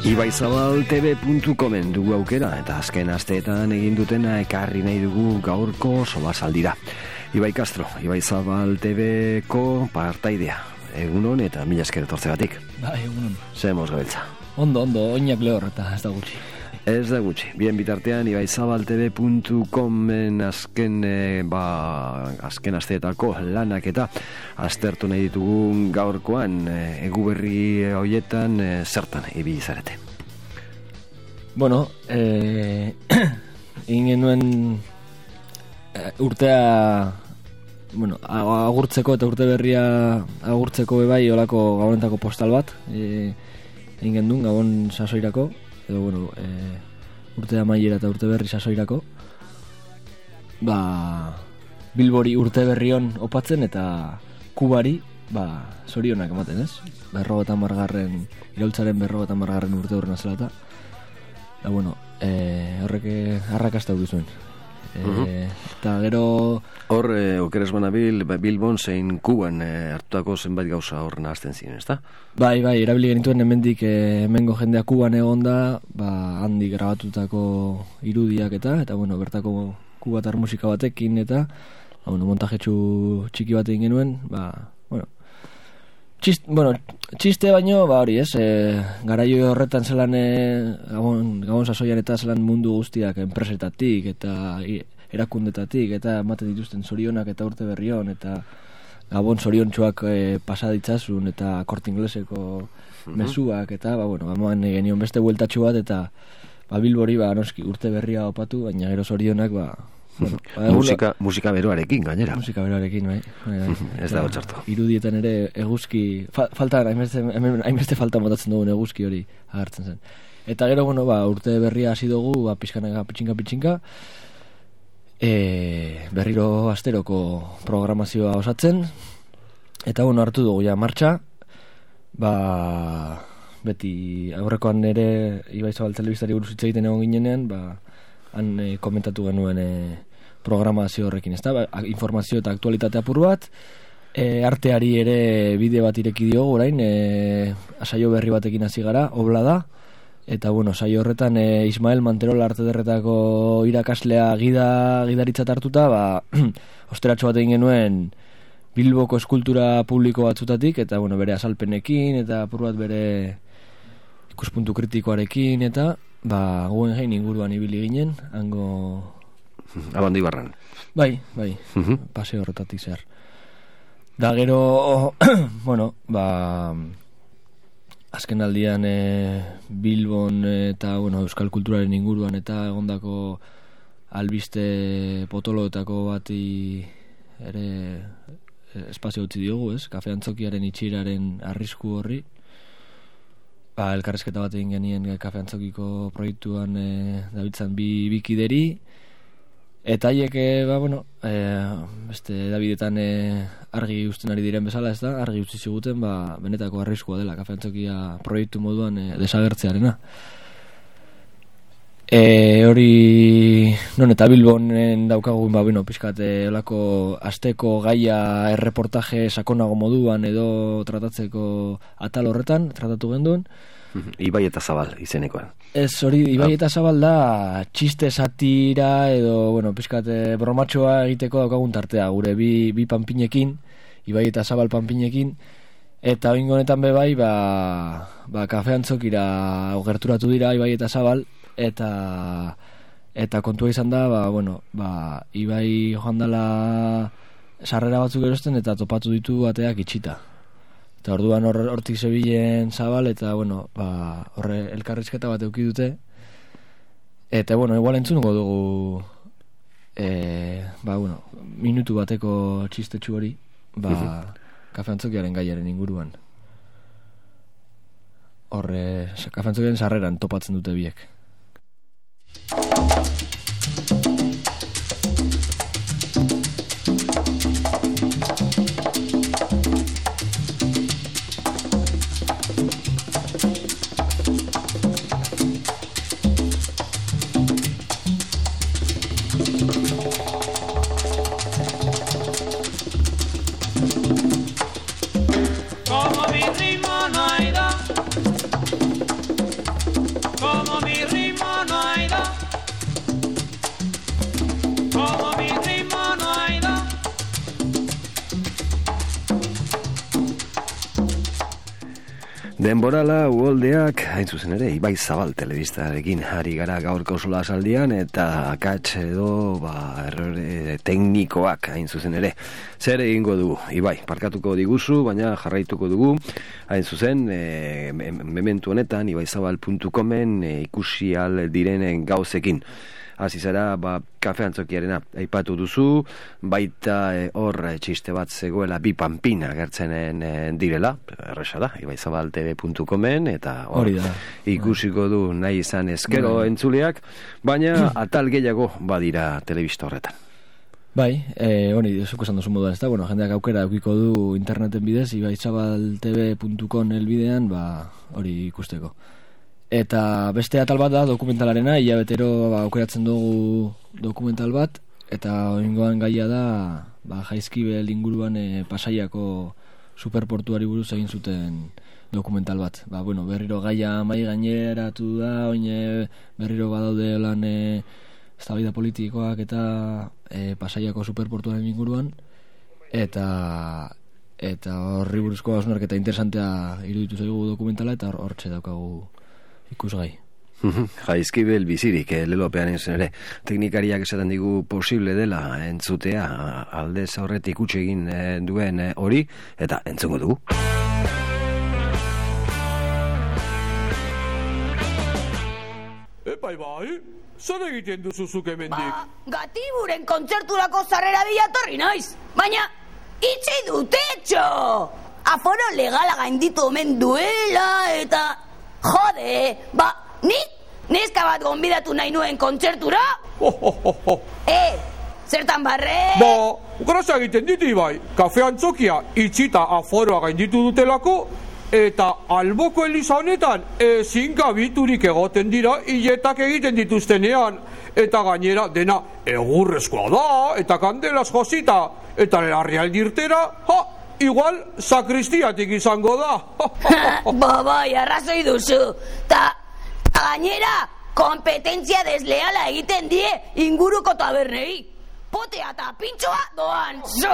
ibaizabaltv.comen dugu aukera eta azken asteetan egin dutena ekarri nahi dugu gaurko solasaldira. Ibai Castro, Ibaizabaltv-ko partaidea. Egunon eta mila esker etortzegatik. Bai, egunon. Zemos gabiltza. Ondo, oinak lehor eta ez da gutxi. Ez da gutxi. Bien bitartean ibaizabaltv.comen azken asteetako lanak eta aztertu nahi ditugu gaurkoan eguberri hoietan zertan ibili zarete. Bueno, egin genuen urtea agurtzeko eta urte berria agurtzeko bebai olako gabonetako postal bat egin gendun gabon sasoirako edo urte amaiera eta urte berri sasoirako Bilbori urte berrion opatzen eta Kubari zorionak ematen, ez? 50. Iraultzaren 50. urte horren azela eta horrek arrakasta du zuen. Eta gero hor okeres banabil Bilbon zein Kuban hartutako zenbait gauza hor nahazten ziren, ezta? Bai, erabili genituen hemendik hemengo jendea Kuban egonda, handi grabatutako irudiak eta bertako kubatar musika batekin eta montajetxu txiki bat egin genuen, txiste baino, hori ez, garaio horretan zelan gabon sasoian eta zelan mundu guztiak enpresetatik eta erakundetatik eta ematen dituzten zorionak eta urte berrion eta gabon zoriontsuak pasaditzazun eta Korte Ingleseko mezuak eta gamoan genion beste bueltatxu bat eta Bilbori noski urte berria opatu, baina gero zorionak musika beroarekin gainera. Musika beroarekin, bai. Ez dago txarto. Irudietan ere eguzki hainbeste falta motatzen dugun eguzki hori agertzen zen. Eta gero, urte berria hasi dugu, pitxinka, berriro asteroko programazioa osatzen, eta hartu dugu ja martxa, beti aurrekoan ere Ibaizabal telebistari buruz hitz egiten egon ginenean, han komentatu genuen programazio horrekin, ezta? Informazio eta aktualitate apur bat, arteari ere bide bat ireki diogu orain, saio berri batekin hasi gara, obla da, eta saio horretan Ismael Manterola Artederretako irakaslea gidaritzat hartuta, osteratxo bat egin genuen Bilboko eskultura publiko batzutatik, eta bere azalpenekin, eta apur bat bere ikuspuntu kritikoarekin, eta Guggenheim inguruan ibili ginen, hango Abandoibarran. Bai, paseo horretatik zer. Da gero, azken aldian Bilbon eta euskal kulturaren inguruan eta egondako albiste potoloetako bati ere espazio utzi diogu, ez? Kafe Antzokiaren itxiraren arrisku horri. Elkarrezketa bat egin genien Kafe Antzokiko proiektuan dabiltzan bi kideri, eta haiek beste Davidetan argi uzten ari diren bezala, ez da? Argi utzi ziguten benetako arriskua dela Kafe Antzokia proiektu moduan desagertzearena. Hori non eta Bilbonen daukagun pixkat olako asteko gaia erreportaje sakonago moduan edo tratatzeko atal horretan tratatu genduen. Ibai eta Zabal izenekoan. Ez, hori Ibai eta Zabal da txiste satira edo pixkat bromatxoa egiteko daukagun tartea gure bi panpinekin, Ibai eta Zabal panpinekin, eta oingo honetan bebai Kafe Antzokira gerturatu dira Ibai eta Zabal, eta kontua izan da Ibai joan dela sarrera batzuk erosten eta topatu ditu ateak itxita, eta orduan hortik zebilen Zabal eta horre elkarrizketa bat eduki dute, eta igual entzungo dugu minutu bateko txistetxu hori Kafe Antzokiaren gaiaren inguruan. Horre Kafe Antzokiaren sarreran topatzen dute biek. Como mi ritmo no hay dos, Denborala uholdeak, hain zuzen ere, Ibai Zabal telebistarekin ari gara gaurko solasaldian eta akats edo errore teknikoak hain zuzen ere. Zer egingo dugu, Ibai, parkatuko diguzu, baina jarraituko dugu, hain zuzen, mementu honetan, ibaizabal.comen ikusi al direnen gauzekin. Hasi zara, kafe antzokiarena aipatu duzu, baita hor txiste bat zegoela bi panpina gertzenen direla, erresa da, ibaizabaltv.comen, eta hor ikusiko du nahi izan ezkero entzuleak, baina atal gehiago badira telebista horretan. Bai, hori, zuko esan duzu moduan, ez da, jendeak aukera eukiko du interneten bidez, ibaizabaltv.com elbidean, hori ikusteko. Eta beste atal bat da dokumentalarena, hilabetero aukeratzen dugu dokumental bat, eta oingoan gaia da Jaizkibel inguruan Pasaiako superportuari buruz egin zuten dokumental bat. Berriro gaia mai gaineratu da, berriro badaude lan eztabaida politikoak eta Pasaiako superportuaren inguruan, eta horri buruzko hausnarketa interesantea iruditu zaigu dokumentala, eta hortxe daukagu ikusgai. Jaizkibel bizirik, lelopean ezen ere, teknikariak esaten digu posible dela entzutea, aldez aurretik utxe egin duen hori, eta entzungo dugu. Bai, zer egiten duzuzuk hemendik? Gatiburen kontzerturako zarrera bilatorri naiz, baina itxi dute etxo! Aforo legala gainditu omen duela, eta... Jode, nik neska bat gonbidatu nahi nuen kontzertura? Zertan barre? Grasa egiten dit, Ibai. Kafe antzokia itxita aforoa gainditu dutelako, eta alboko eliza honetan ezin gabiturik egoten dira hiletak egiten dituztenean. Eta gainera dena egurrezkoa da, eta kandelaz josita, eta larrialdirtera, igual sakristiatik izango da. Bai, arrazoi duzu. Ta gainera, kompetentzia desleala egiten die inguruko tabernei. Potea eta pintxoa doan zu.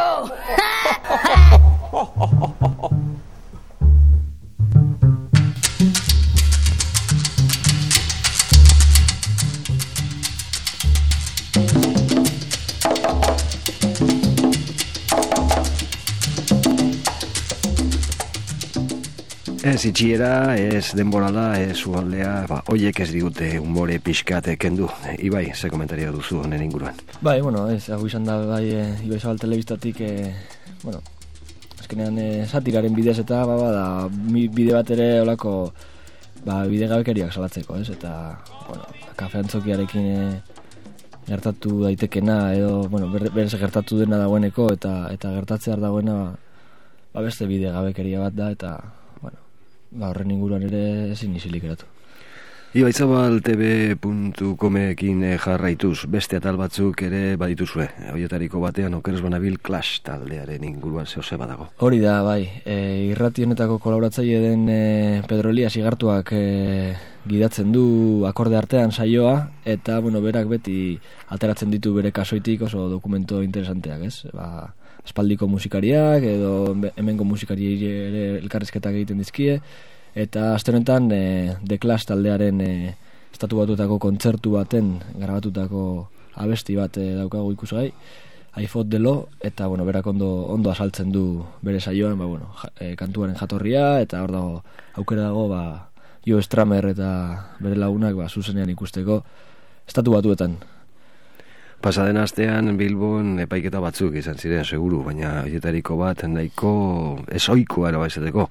Ez itxiera, ez denborala, ez ualdea, oiek ez digute umore pixkat kendu. Ibai, ze komentario duzu honen inguruan? Hau izan da, Ibai Zabal telebistatik, azkenean satiraren bidez eta, bide bat ere olako, bide gabekeriak salatzeko, ez? Eta, kafe antzokiarekin gertatu daitekena, edo, berez gertatu dena dagoeneko, eta gertatzear dagoena, beste bide gabekeria bat da, eta, horren inguruan ere ezin isilik eratu. Ibaizabaltv.comekin jarraituz, beste atal batzuk ere badituzue. Horietariko batean okeres banabil Clash taldearen inguruan zehose badago. Hori da, irrati honetako kolaboratzaile den Pedro Elias Igartuak gidatzen du akorde artean saioa, eta berak beti ateratzen ditu bere kasoitik oso dokumento interesanteak, ez? Espaldiko musikariak edo hemengo musikariei ere elkarrizketak egiten dizkie, eta aste honetan The Clash taldearen estatu batuetako kontzertu baten grabatutako abesti bat daukagu ikusgai, I Fought the Law, eta berak ondo asaltzen du bere saioan, kantuaren jatorria, eta hor dago aukera dago Jo Stramer eta bere lagunak zuzenean ikusteko estatu batuetan. Pasaden astean Bilbon epaiketa batzuk izan ziren seguru, baina horietariko bat nahiko ezoikoa erabaizateko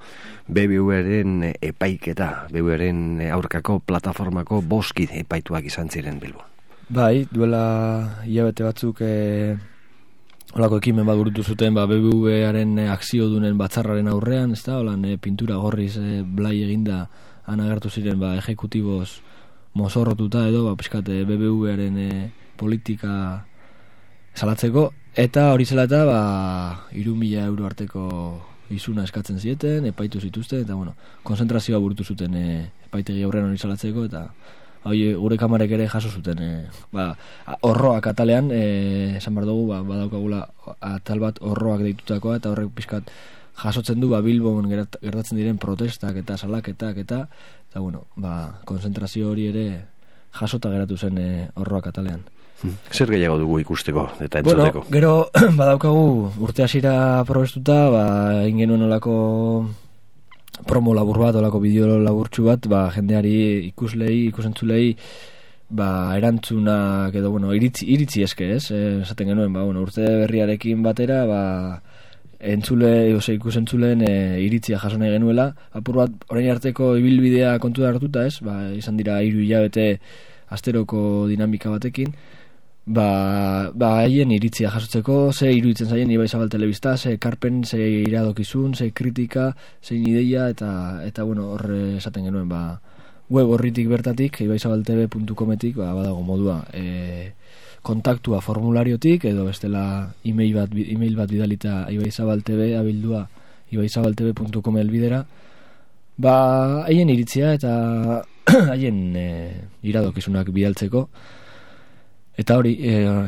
BBV-ren epaiketa, BBV-ren aurkako plataformako 5 epaituak izan ziren Bilbon. Duela hilabete batzuk holako ekimen bat burutu zuten BBV-aren akziodunen batzarraren aurrean, ez da, pintura gorriz blai eginda anagertu ziren ejekutiboz mozorrotuta edo pixkate BBV-aren politika salatzeko, eta hori zela eta 3.000 euro arteko izuna eskatzen zieten, epaitu zituzten, eta konzentrazioa burutu zuten epaitegi aurrean hori salatzeko, eta gure kamarek ere jaso zuten horroak atalean, esan behar dugu, badaukagula atal bat horroak deitutakoa, eta horrek pixkat jasotzen du Bilbon gertatzen diren protestak eta salaketak eta bueno, konzentrazio hori ere jasota geratu zen Horroak atalean. Zer gehiago dugu ikusteko eta entzuteko? Bueno, gero badaukagu urte hasira probestuta, egin genuen olako promo labur bat, olako bideo laburtxu bat, jendeari ikusentzulei erantzunak edo, iritzi eske, ez? Esaten genuen, urte berriarekin batera, ikusentzulen iritzia jaso nahi genuela. Apur bat, orain arteko ibilbidea kontu da hartuta, ez? Izan dira 3 hilabete asteroko dinamika batekin. Haien iritzia jasotzeko, ze iruditzen zaien Ibaizabal Telebista, ze karpen, ze iradokizun, ze kritika, zein ideia, eta horre esaten genuen, web horritik bertatik, ibaizabaltv.cometik, badago modua, kontaktua formulariotik, edo bestela email bat bidalita ibaizabaltv abildua ibaizabaltv.com elbidera, haien iritzia eta haien iradokizunak bidaltzeko. Eta hori,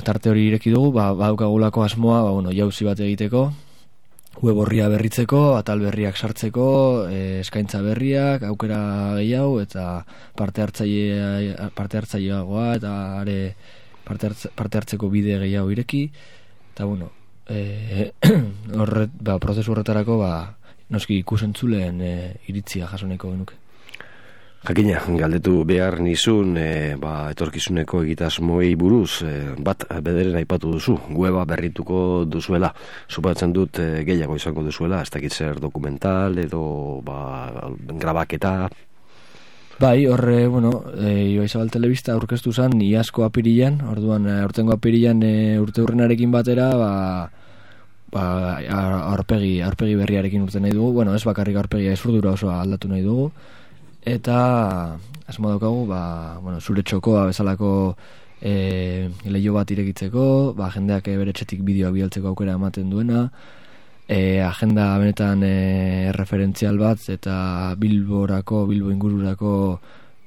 tarte hori ireki dugu, badaukagulako asmoa, jauzi bat egiteko, web horria berritzeko, atal berriak sartzeko, eskaintza berriak, aukera gehiago, eta parte hartzaileagoa, eta parte hartzeko bide gehiago ireki, eta prozesu horretarako, noski ikusentzuleen iritzia jasoneko genuke. Jakina, galdetu behar nizun, etorkizuneko egitasmoei buruz, bat bederen aipatu duzu, weba berrituko duzuela, supatzen dut gehiago izango duzuela, ez dakit zer dokumental edo grabaketa. Horre, Ibaizabal Telebista aurkeztu zen iazko apirilan, orduan aurtengo apirilan urte hurrenarekin batera, aurpegi berriarekin urte nahi dugu, ez bakarrik aurpegia ezurdura osoa aldatu nahi dugu, eta asmo daukagu zure txokoa bezalako leio bat irekitzeko, jendeak bere etxetik bideoak bidaltzeko aukera ematen duena, agenda benetan referentzial bat eta Bilbo ingururako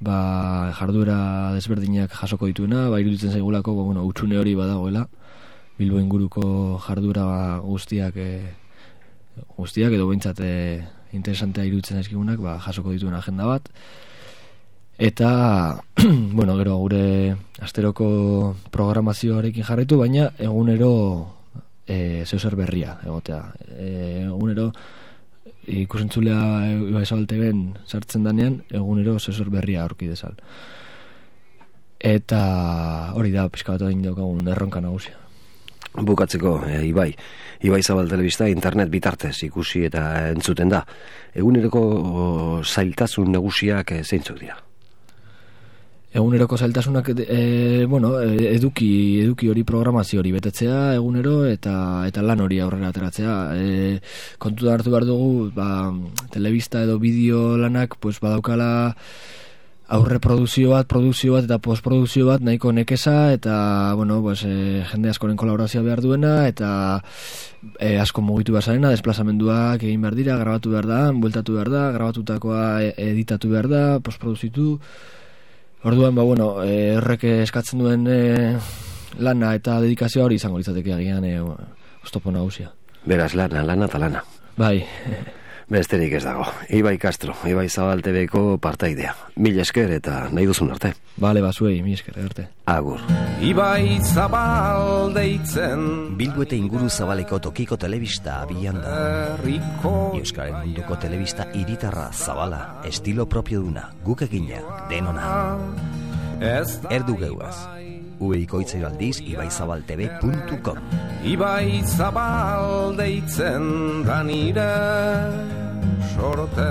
jarduera desberdinak jasoko dituena, iruditzen zaigulako utxune hori badagoela, Bilbo inguruko jarduera guztiak edo behintzat interesantea iruditzen zaizkigunak, jasoko dituen agenda bat. Eta, gero gure asteroko programazioarekin jarraitu, baina egunero zeuzer berria egotea. Egunero ikusentzulea Ibaizabal TV-en sartzen danean, egunero zeuzer berria aurki dezal. Eta hori da, pixka bat egin daukagun erronka nagusia. Bukatzeko, Ibaizabal Telebista internet bitartez ikusi eta entzuten da. Eguneroko zailtasun nagusiak zeintzuk dira? Eguneroko zailtasunak, eduki hori, programazio hori betetzea egunero eta lan hori aurrera ateratzea. Kontu da hartu behar dugu, telebista edo bideo lanak badaukala aurre produzio bat eta postproduzio bat nahiko nekeza eta jende askoren kolaborazioa behar duena eta asko mugitu bazarena, desplazamenduak egin behar dira, grabatu behar da, bueltatu behar da, grabatutakoa editatu behar da, postproduzitu. Orduan, errek eskatzen duen lana eta dedikazioa hori izango litzateke agian oztopo nagusia. Beraz, lana eta lana. Bai. Besterik ez dago. Ibai Castro, Ibaizabal TV-ko partaidea. Mil esker eta nahi duzun arte. Bale, zuei, mil esker arte. Agur. Ibaizabal deitzen Bilbo eta inguru zabaleko tokiko telebista abian da. Euskaren munduko telebista hiritarra zabala, estilo propio duna, guk egina, denona. Erdu geuaz. Ueikoitzero aldiz ibaizabaltv.com Ibaizabal deitzen da nire sorte